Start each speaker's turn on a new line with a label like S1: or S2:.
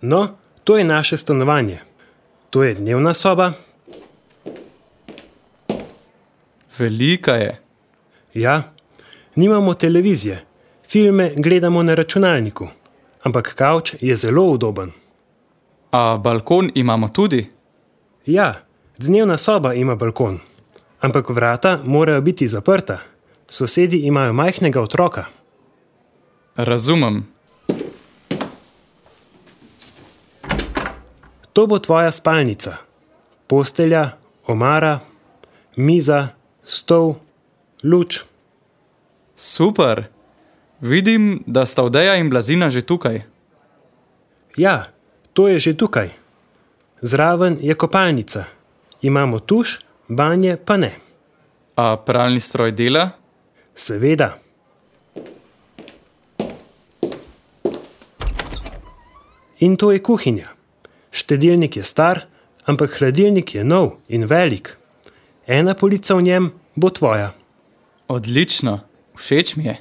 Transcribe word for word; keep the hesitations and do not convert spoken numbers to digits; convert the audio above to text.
S1: No, to je naše stanovanje. To je dnevna soba.
S2: Velika je.
S1: Ja, nimamo televizije. Filme gledamo na računalniku. Ampak kavč je zelo udoben.
S2: A balkon imamo tudi?
S1: Ja, dnevna soba ima balkon. Ampak vrata morajo biti zaprta. Sosedi imajo majhnega otroka.
S2: Razumem.
S1: To bo tvoja spalnica. Postelja, omara, miza, stol, luč.
S2: Super. Vidim, da sta Odeja in Blazina že tukaj.
S1: Ja, to je že tukaj. Zraven je kopalnica. Imamo tuš, banje pa ne.
S2: A pralni stroj dela?
S1: Seveda. In to je kuhinja. Štedilnik je star, ampak hladilnik je nov in velik. Ena polica v njem bo tvoja.
S2: Odlično. Všeč mi je.